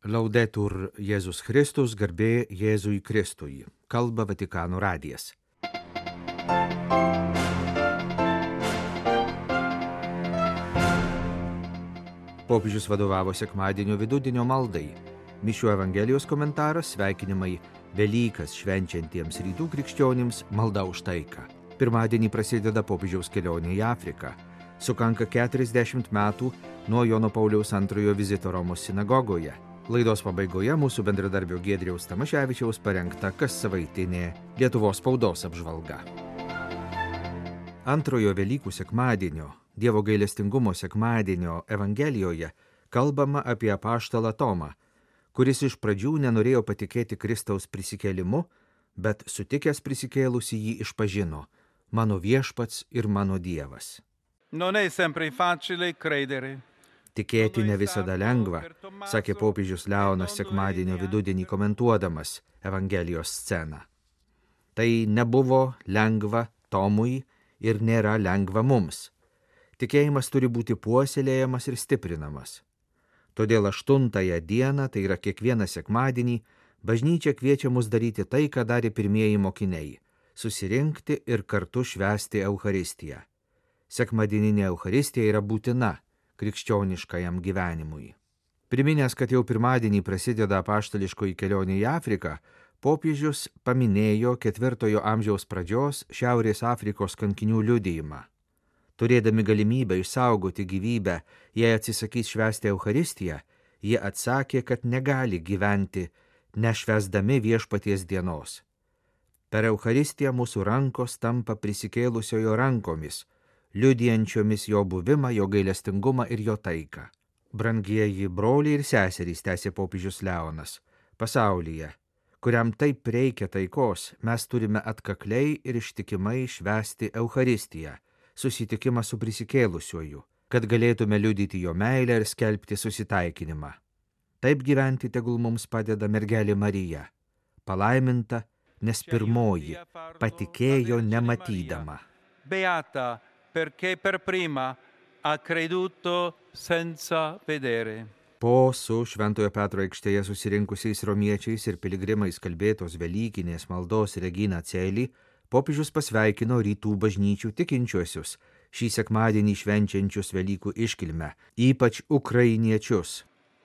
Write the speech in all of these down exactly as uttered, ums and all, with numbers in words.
Laudetur Jėzus Kristus, garbė Jėzui Kristui. Kalba Vatikano radijas. Popiežius vadovavo sekmadienio vidudienio maldai. Mišių Evangelijos komentaras, sveikinimai Velykas švenčiantiems rytų krikščionims, malda už taiką. Pirmadienį prasideda popiežiaus kelionė į Afriką. Sukanka keturiasdešimt metų nuo Jono Pauliaus antrojo vizito Romos sinagogoje. Laidos pabaigoje mūsų bendradarbio Giedriaus Tamaševičiaus parengta kassavaitinė Lietuvos spaudos apžvalga. Antrojo Velykų sekmadienio, Dievo gailestingumo sekmadienio Evangelijoje kalbama apie apaštalą Tomą, kuris iš pradžių nenorėjo patikėti Kristaus prisikėlimu, bet sutikęs prisikėlusi jį išpažino: mano viešpats ir mano Dievas. Non è sempre facile credere. Tikėti ne visada lengva, sakė popiežius Leonas sekmadienio vidudienį komentuodamas Evangelijos sceną. Tai nebuvo lengva Tomui ir nėra lengva mums. Tikėjimas turi būti puoselėjamas ir stiprinamas. Todėl aštuntąją dieną, tai yra kiekvieną sekmadienį, bažnyčia kviečia mus daryti tai, ką darė pirmieji mokiniai – susirinkti ir kartu švęsti Eucharistiją. Sekmadieninė Eucharistija yra būtina krikščioniškajam gyvenimui. Priminęs, kad jau pirmadienį prasideda apaštališkoji kelionė į Afriką, popiežius paminėjo ketvirtojo amžiaus pradžios Šiaurės Afrikos kankinių liudijimą. Turėdami galimybę išsaugoti gyvybę, jei atsisakys švęsti Eucharistiją, jie atsakė, kad negali gyventi nešvęsdami viešpaties dienos. Per Eucharistiją mūsų rankos tampa prisikėlusiojo rankomis, liudijančiomis jo buvimą, jo gailestingumą ir jo taiką. Brangieji broliai ir seserys, tęsė popiežius Leonas, pasaulyje, kuriam taip reikia taikos, mes turime atkakliai ir ištikimai švęsti Eucharistiją, susitikimą su prisikėlusiuoju, kad galėtume liudyti jo meilę ir skelbti susitaikinimą. Taip gyventi tegul mums padeda mergelė Marija, palaiminta, nes pirmoji patikėjo nematydama. Beata, perché per prima ha creduto senza vedere. Po su Šventojo Petro aikštėje susirinkusiais romiečiais ir piligrimais kalbėtos Velykinės maldos Regina Coeli, popiežius pasveikino rytų bažnyčių tikinčiuosius, šį sekmadienį švenčiančius Velykų iškilmę, ypač ukrainiečius.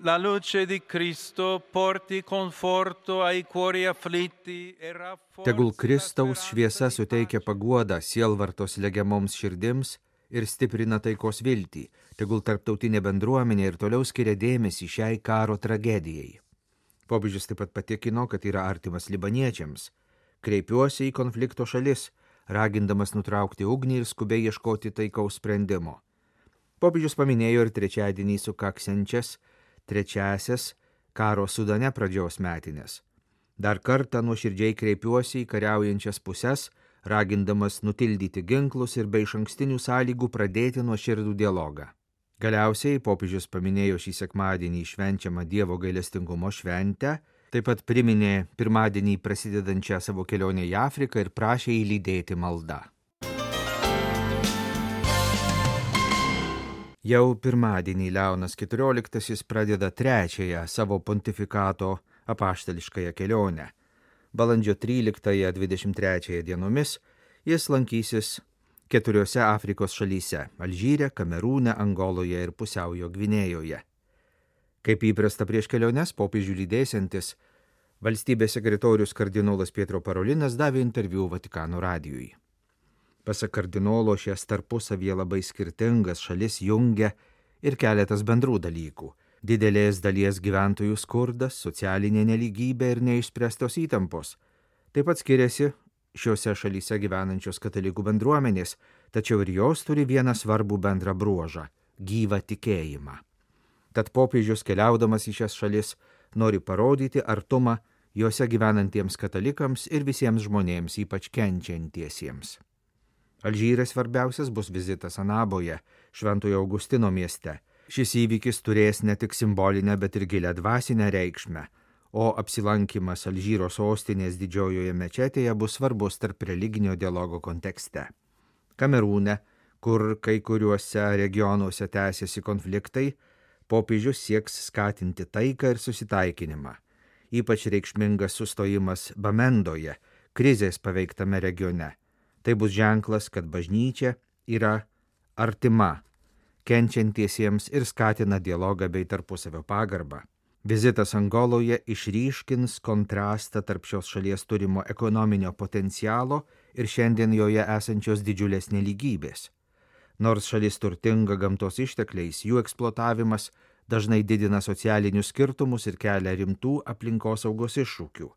La luce di Cristo porti conforto ai cuori afflitti e rafforzi. Tegul Kristaus šviesa suteikia paguodą sielvartos legiamoms širdims ir stiprina taikos viltį. Tegul tarptautinė bendruomenė ir toliau skiria dėmesį šiai karo tragedijai. Popiežius taip pat patikino, kad yra artimas libaniečiams. Kreipiuosi į konflikto šalis, ragindamas nutraukti ugnį ir skubiai ieškoti taikaus sprendimo. Popiežius paminėjo ir trečiadienį sukaksiančias trečiasias karo Sudane pradžios metinės. Dar kartą nuoširdžiai kreipiuosi į kariaujančias puses, ragindamas nutildyti ginklus ir be išankstinių sąlygų pradėti nuoširdų dialogą. Galiausiai popiežius paminėjo šį sekmadienį švenčiamą Dievo gailestingumo šventę, taip pat priminė pirmadienį prasidedančią savo kelionę į Afriką ir prašė įlydėti maldą. Jau pirmadienį Leonas keturioliktasis pradeda trečiąją savo pontifikato apaštališkąją kelionę. Balandžio tryliktąją dvidešimt trečiąją dienomis jis lankysis keturiose Afrikos šalyse – Alžyre, Kamerūne, Angoloje ir Pusiaujo Gvinėjoje. Kaip įprasta prieš keliones, popiežių lydėsiantis valstybės sekretorius kardinolas Pietro Parolinas davė interviu Vatikano radijui. Pasak kardinolo, šias tarpusavyje labai skirtingas šalis jungia ir keletas bendrų dalykų – didelės dalies gyventojų skurdas, socialinė nelygybė ir neišspręstos įtampos. Taip pat skiriasi šiuose šalyse gyvenančios katalikų bendruomenės, tačiau ir jos turi vieną svarbų bendrą bruožą – gyvą tikėjimą. Tad popiežius keliaudamas į šias šalis nori parodyti artumą juose gyvenantiems katalikams ir visiems žmonėms, ypač kenčiantiesiems. Alžyras svarbiausias bus vizitas Anaboje, Šventojo Augustino mieste. Šis įvykis turės ne tik simbolinę, bet ir gilią dvasinę reikšmę, o apsilankimas Alžyro sostinės didžiojoje mečetėje bus svarbus tarp religinio dialogo kontekste. Kamerūne, kur kai kuriuose regionuose tęsiasi konfliktai, popiežius sieks skatinti taiką ir susitaikinimą. Ypač reikšmingas sustojimas Bamendoje, krizės paveiktame regione. Tai bus ženklas, kad bažnyčia yra artima kenčiantiesiems ir skatina dialogą bei tarpusavio pagarbą. Vizitas Angoloje išryškins kontrastą tarp šios šalies turimo ekonominio potencialo ir šiandien joje esančios didžiulės nelygybės. Nors šalis turtinga gamtos ištekliais, jų eksploatavimas dažnai didina socialinius skirtumus ir kelia rimtų aplinkosaugos iššūkių.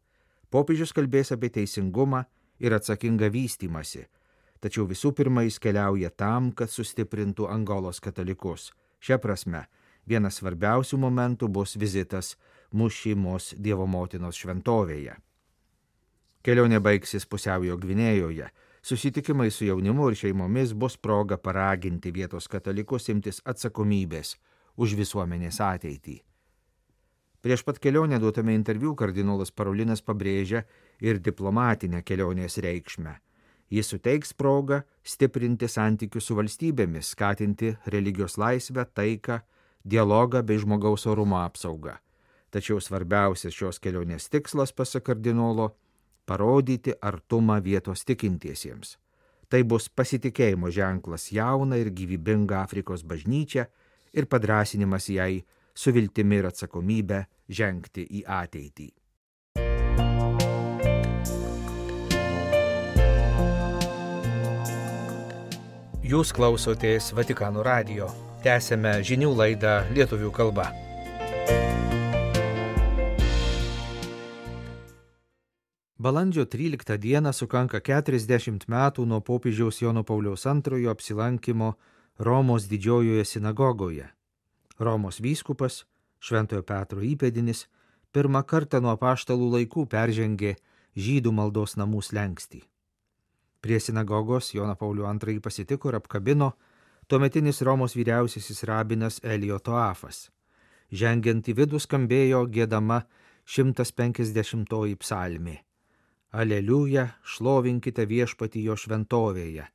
Popiežius kalbės apie teisingumą ir atsakingą vystymąsi, tačiau visų pirma jis keliauja tam, kad sustiprintų Angolos katalikus. Šia prasme, vienas svarbiausių momentų bus vizitas Mušimos Dievo motinos šventovėje. Kelionė baigsis Pusiaujo Gvinėjoje. Susitikimai su jaunimu ir šeimomis bus proga paraginti vietos katalikus imtis atsakomybės už visuomenės ateitį. Prieš pat kelionę duotame interviu kardinolas Parolinas pabrėžia ir diplomatinę kelionės reikšmę. Jis suteiks progą stiprinti santykius su valstybėmis, skatinti religijos laisvę, taiką, dialogą bei žmogaus orumo apsaugą. Tačiau svarbiausias šios kelionės tikslas, pasak kardinolo, parodyti artumą vietos tikintiesiems. Tai bus pasitikėjimo ženklas jauną ir gyvybingą Afrikos bažnyčią ir padrąsinimas jai su viltimi ir atsakomybę žengti į ateitį. Jūs klausotės Vatikano radijo. Tęsėme žinių laidą lietuvių kalba. Balandžio tryliktą dieną sukanka keturiasdešimt metų nuo popiežiaus Jono Pauliaus antrojo apsilankimo Romos didžiojoje sinagogoje. Romos vyskupas, Šventojo Petro įpėdinis, pirmą kartą nuo apaštalų laikų peržengė žydų maldos namų slenkstį. Prie sinagogos Joną Paulių antrąjį pasitiko ir apkabino tuometinis Romos vyriausiasis rabinas Elijo Toafas. Žengiant į vidų skambėjo giedama šimtas penkiasdešimtoji psalmė. Aleliuja, šlovinkite viešpatį jo šventovėje,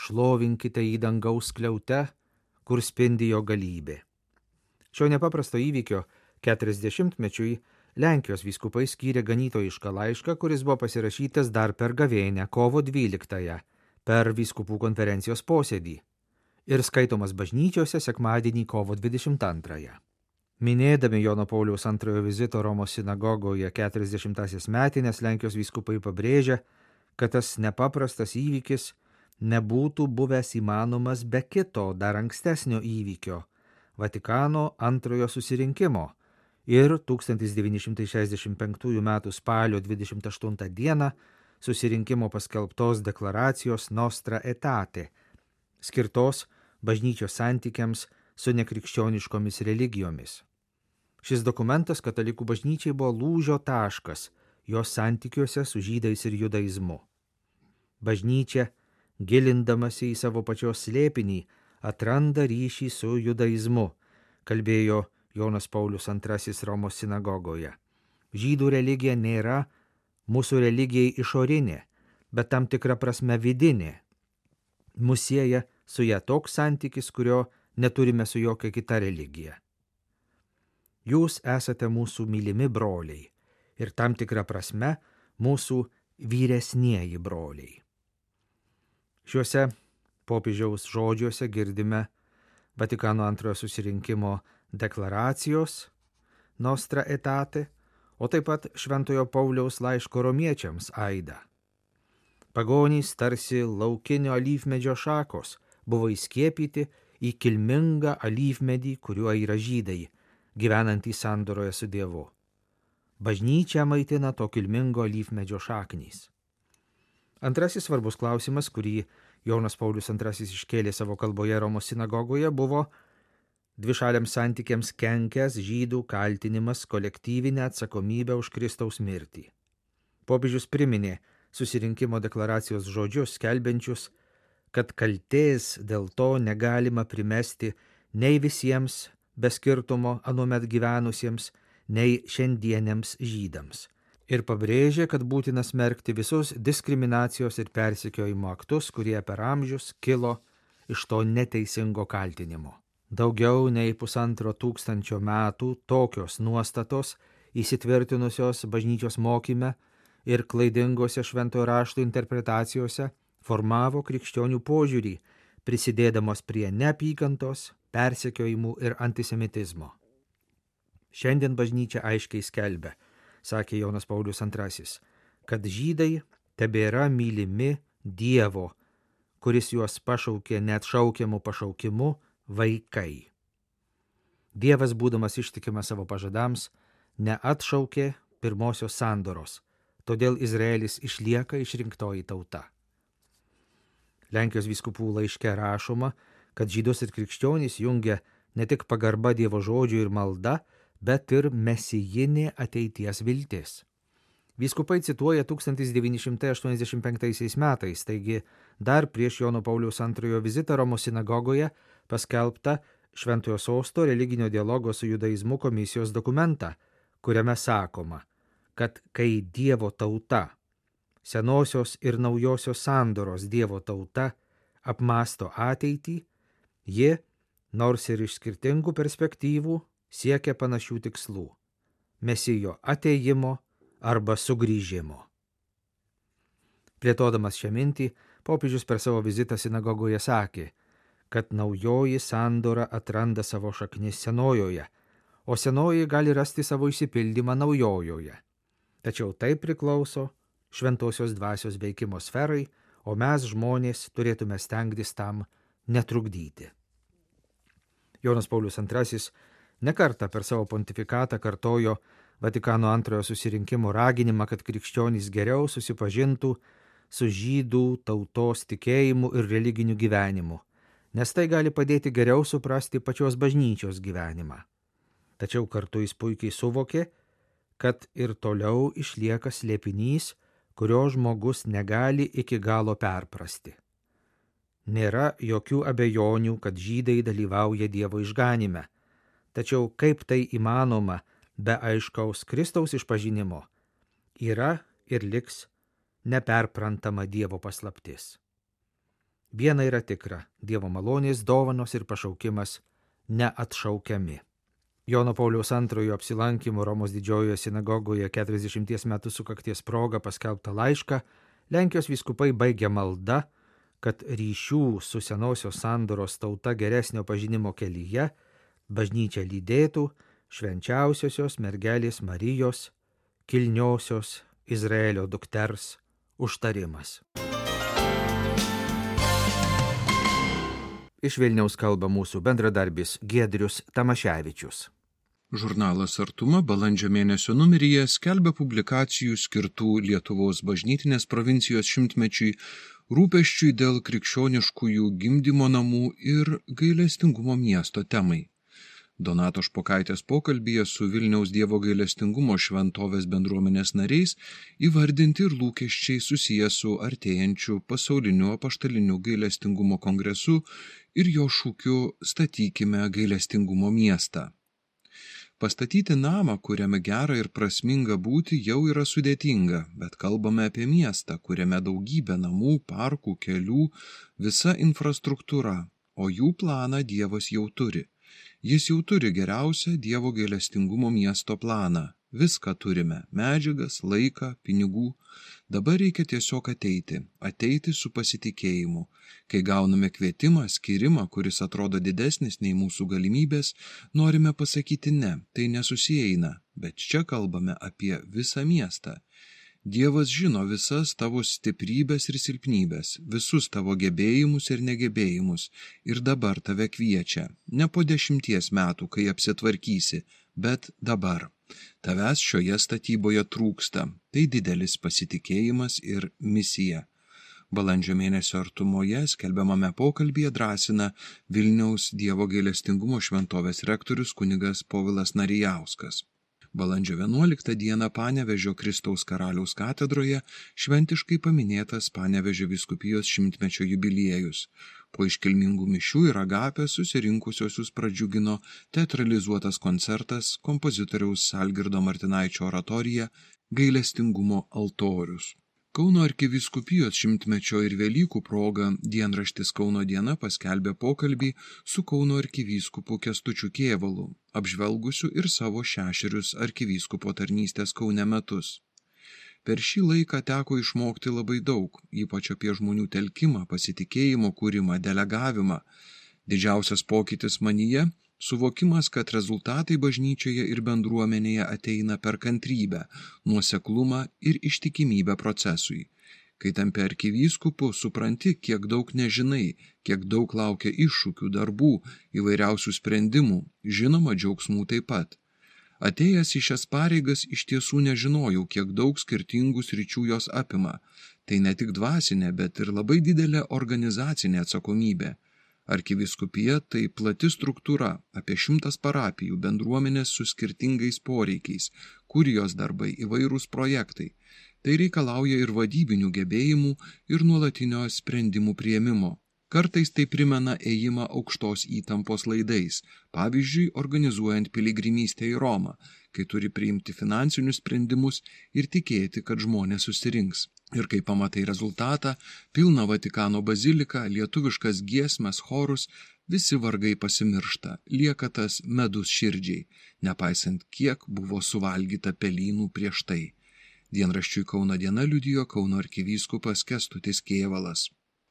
šlovinkite į dangaus skliaute, kur spindi jo galybė. Šio nepaprasto įvykio keturiasdešimtmečiui Lenkijos vyskupai skyrė ganytojišką laišką, kuris buvo pasirašytas dar per gavėnią kovo dvyliktąją per vyskupų konferencijos posėdį ir skaitomas bažnyčiose sekmadienį kovo dvidešimt antrąją. Minėdami Jono Pauliaus antrojo vizito Romos sinagogoje keturiasdešimtąsias metinės, Lenkijos vyskupai pabrėžia, kad tas nepaprastas įvykis nebūtų buvęs įmanomas be kito dar ankstesnio įvykio – Vatikano antrojo susirinkimo ir tūkstantis devyni šimtai šešiasdešimt penktųjų metų spalio dvidešimt aštuntą dieną susirinkimo paskelbtos deklaracijos Nostra Aetate, skirtos bažnyčios santykiams su nekrikščioniškomis religijomis. Šis dokumentas katalikų bažnyčiai buvo lūžio taškas jos santykiuose su žydais ir judaizmu. Bažnyčia, gilindamasi į savo pačios slėpinį, atranda ryšį su judaizmu, kalbėjo Jonas Paulius antrasis Romos sinagogoje. Žydų religija nėra mūsų religijai išorinė, bet tam tikra prasme vidinė. Mus sieja su ja toks santykis, kurio neturime su jokia kita religija. Jūs esate mūsų mylimi broliai ir tam tikrą prasme mūsų vyresnieji broliai. Šiuose popiežiaus žodžiuose girdime Vatikano antrojo susirinkimo deklaracijos Nostra Aetate, o taip pat Šventojo Pauliaus laiško romiečiams aidą. Pagonys tarsi laukinio alyvmedžio šakos buvo įskiepyti į kilmingą alyvmedį, kuriuo yra žydai, gyvenantys sandoroje su Dievu. Bažnyčia maitina to kilmingo alyvmedžio šaknys. Antrasis svarbus klausimas, kurį Jonas Paulius antrasis iškėlė savo kalboje Romos sinagogoje, buvo dvišaliams santykiams kenkęs žydų kaltinimas kolektyvinę atsakomybę už Kristaus mirtį. Popiežius priminė susirinkimo deklaracijos žodžius, skelbiančius, kad kaltės dėl to negalima primesti nei visiems be skirtumo anuomet gyvenusiems, nei šiandieniams žydams. Ir pabrėžė, kad būtina smerkti visus diskriminacijos ir persekiojimo aktus, kurie per amžius kilo iš to neteisingo kaltinimo. Daugiau nei pusantro tūkstančio metų tokios nuostatos įsitvirtinusios bažnyčios mokyme ir klaidingose šventojo rašto interpretacijose formavo krikščionių požiūrį, prisidėdamos prie neapykantos, persekiojimų ir antisemitizmo. Šiandien bažnyčia aiškiai skelbia, sakė Jonas Paulius antrasis, kad žydai tebėra mylimi Dievo, kuris juos pašaukė net šaukiamų pašaukimu vaikai. Dievas, būdamas ištikimas savo pažadams, neatšaukė pirmosios sandoros, todėl Izraelis išlieka išrinktoji tauta. Lenkijos vyskupų laiške rašoma, kad žydus ir krikščionys jungia ne tik pagarba Dievo žodžiui ir malda, bet ir mesijinė ateities viltis. Vyskupai cituoja tūkstantis devyni šimtai aštuoniasdešimt penktaisiais metais, taigi dar prieš Jono Pauliaus antrojo vizitą Romos sinagogoje paskelbtą Šventojo Sosto religinio dialogo su judaizmu komisijos dokumentą, kuriame sakoma, kad kai Dievo tauta, senosios ir naujosios sandoros Dievo tauta apmąsto ateitį, ji, nors ir iš skirtingų perspektyvų, siekia panašių tikslų – Mesijo atėjimo arba sugrįžimo. Plėtodamas šią mintį, popiežius per savo vizitą sinagogoje sakė, kad naujoji sandora atranda savo šaknis senojoje, o senoji gali rasti savo išsipildymą naujojoje. Tačiau tai priklauso šventosios dvasios veikimo sferai, o mes žmonės turėtume stengtis tam netrukdyti. Jonas Paulius antrasis nekartą per savo pontifikatą kartojo Vatikano antrojo susirinkimo raginimą, kad krikščionys geriau susipažintų su žydų tautos tikėjimu ir religiniu gyvenimu, nes tai gali padėti geriau suprasti pačios bažnyčios gyvenimą. Tačiau kartu jis puikiai suvokė, kad ir toliau išlieka slėpinys, kurio žmogus negali iki galo perprasti. Nėra jokių abejonių, kad žydai dalyvauja Dievo išganime, tačiau kaip tai įmanoma be aiškaus Kristaus išpažinimo, yra ir liks neperprantama Dievo paslaptis. Viena yra tikra, Dievo malonės, dovanos ir pašaukimas neatšaukiami. Jono Pauliaus antrojo apsilankimo Romos didžiojoje sinagogoje keturiasdešimties metų sukakties proga paskelbtą laišką Lenkijos vyskupai baigia malda, kad ryšių su senosios sandoros tauta geresnio pažinimo kelyje bažnyčia lydėtų švenčiausiosios mergelės Marijos, kilniosios Izraelio dukters užtarimas. Iš Vilniaus kalba mūsų bendradarbis Giedrius Tamaševičius. Žurnalas Artuma balandžio mėnesio numeryje skelbia publikacijų skirtų Lietuvos bažnytinės provincijos šimtmečiui, rūpesčiui dėl krikščioniškųjų gimdymo namų ir gailestingumo miesto temai. Donato Špokaitės pokalbyje su Vilniaus Dievo gailestingumo šventovės bendruomenės nariais įvardinti ir lūkesčiai susiję su artėjančiu pasauliniu apaštaliniu gailestingumo kongresu ir jo šūkiu Statykime gailestingumo miestą. Pastatyti namą, kuriame gera ir prasminga būti, jau yra sudėtinga, bet kalbame apie miestą, kuriame daugybė namų, parkų, kelių, visa infrastruktūra, o jų planą Dievas jau turi. Jis jau turi geriausią Dievo gailestingumo miesto planą. Viską turime – medžiagas, laiką, pinigų. Dabar reikia tiesiog ateiti, ateiti su pasitikėjimu. Kai gauname kvietimą, skirimą, kuris atrodo didesnis nei mūsų galimybės, norime pasakyti ne, tai nesusieina, bet čia kalbame apie visą miestą. Dievas žino visas tavo stiprybės ir silpnybės, visus tavo gebėjimus ir negebėjimus, ir dabar tave kviečia, ne po dešimties metų, kai apsitvarkysi, bet dabar. Tavęs šioje statyboje trūksta, tai didelis pasitikėjimas ir misija. Balandžio mėnesio artumoje skelbiamame pokalbyje drąsina Vilniaus Dievo gailestingumo šventovės rektorius kunigas Povilas Narijauskas. Balandžio vienuoliktą dieną Panevėžio Kristaus Karaliaus katedroje šventiškai paminėtas Panevėžio vyskupijos šimtmečio jubiliejus. Po iškilmingų mišių ir agapės susirinkusiosius pradžiugino teatralizuotas koncertas kompozitoriaus Algirdo Martinaičio oratorija Gailestingumo altorius. Kauno arkivyskupijos šimtmečio ir Velykų proga dienraštis Kauno diena paskelbė pokalbį su Kauno arkivyskupu Kęstučiu Kėvalu, apžvelgusiu ir savo šešerius arkivyskupo tarnystės Kaune metus. Per šį laiką teko išmokti labai daug, ypač apie žmonių telkimą, pasitikėjimo kūrimą, delegavimą. Didžiausias pokytis manyje – suvokimas, kad rezultatai bažnyčioje ir bendruomenėje ateina per kantrybę, nuoseklumą ir ištikimybę procesui. Kai tampi arkivyskupu, supranti, kiek daug nežinai, kiek daug laukia iššūkių, darbų, įvairiausių sprendimų, žinoma, džiaugsmų taip pat. Atėjęs į šias pareigas iš tiesų nežinojau, kiek daug skirtingų sričių jos apima. Tai ne tik dvasinė, bet ir labai didelė organizacinė atsakomybė. Arkivyskupija tai plati struktūra, apie šimtas parapijų, bendruomenės su skirtingais poreikiais, kurijos darbai, įvairūs projektai. Tai reikalauja ir vadybinių gebėjimų, ir nuolatinio sprendimų priėmimo. Kartais tai primena ėjimą aukštos įtampos laidais, pavyzdžiui, organizuojant piligrimystę į Romą, kai turi priimti finansinius sprendimus ir tikėti, kad žmonės susirinks. Ir kai pamatai rezultatą, pilną Vatikano baziliką, lietuviškas giesmes, chorus, visi vargai pasimiršta, lieka tas medus širdžiai, nepaisant kiek buvo suvalgyta pelynų prieš tai. Dienraščiui Kauno diena liudijo Kauno arkivyskupas Kęstutis Kėvalas.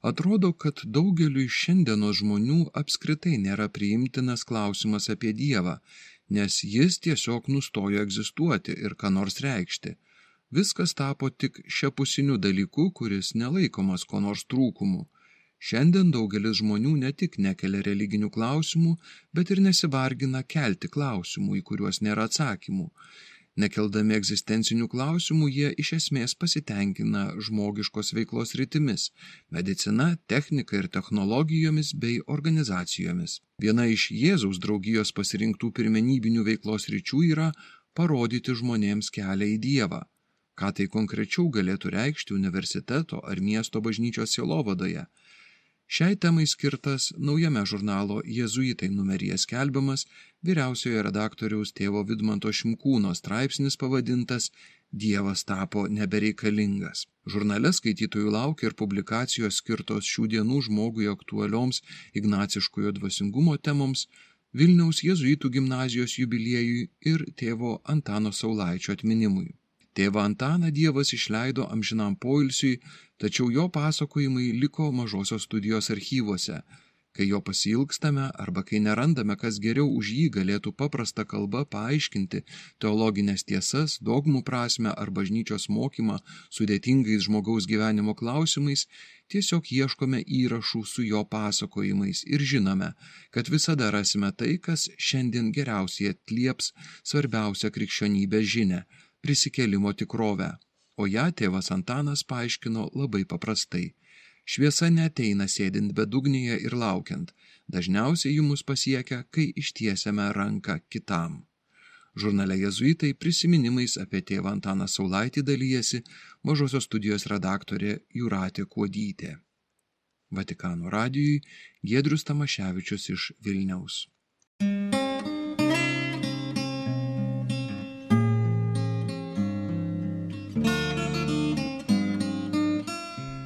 Atrodo, kad daugeliui šiandienos žmonių apskritai nėra priimtinas klausimas apie Dievą, nes jis tiesiog nustojo egzistuoti ir ką nors reikšti. Viskas tapo tik šiapusiniu dalyku, kuris nelaikomas ko nors trūkumu. Šiandien daugelis žmonių ne tik nekelia religinių klausimų, bet ir nesivargina kelti klausimų, į kuriuos nėra atsakymų. Nekeldami egzistencinių klausimų, jie iš esmės pasitenkina žmogiškos veiklos rytimis – medicina, technika ir technologijomis bei organizacijomis. Viena iš Jėzaus draugijos pasirinktų pirmenybinių veiklos ryčių yra parodyti žmonėms kelią į Dievą. Ką tai konkrečiau galėtų reikšti universiteto ar miesto bažnyčios sielovadoje? Šiai temai skirtas naujame žurnalo Jėzuitai numeryje skelbiamas vyriausiojo redaktoriaus tėvo Vidmanto Šimkūno straipsnis pavadintas Dievas tapo nebereikalingas. Žurnale skaitytojų laukia ir publikacijos skirtos šių dienų žmogui aktualioms ignaciškojo dvasingumo temoms, Vilniaus Jėzuitų gimnazijos jubiliejui ir tėvo Antano Saulaičio atminimui. Tėvą Antaną Dievas išleido amžinam poilsiui, tačiau jo pasakojimai liko Mažosios studijos archyvuose. Kai jo pasiilgstame arba kai nerandame, kas geriau už jį galėtų paprasta kalba paaiškinti teologinės tiesas, dogmų prasmę ar bažnyčios mokymą sudėtingais žmogaus gyvenimo klausimais, tiesiog ieškome įrašų su jo pasakojimais ir žinome, kad visada rasime tai, kas šiandien geriausiai atlieps svarbiausią krikščionybės žinią – prisikėlimo tikrovę, o ją tėvas Antanas paaiškino labai paprastai. Šviesa neateina sėdint bedugnėje ir laukiant, dažniausiai ji mus pasiekia, kai ištiesiame ranką kitam. Žurnale Jėzuitai prisiminimais apie tėvą Antaną Saulaitį dalyjasi Mažosios studijos redaktorė Jūratė Kuodytė. Vatikano radijui Giedrius Tamaševičius iš Vilniaus.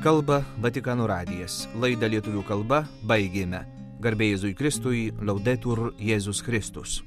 Kalba Vatikano radijas. Laidą lietuvių kalba baigėme. Garbė Jėzui Kristui, Laudetur Jėzus Kristus.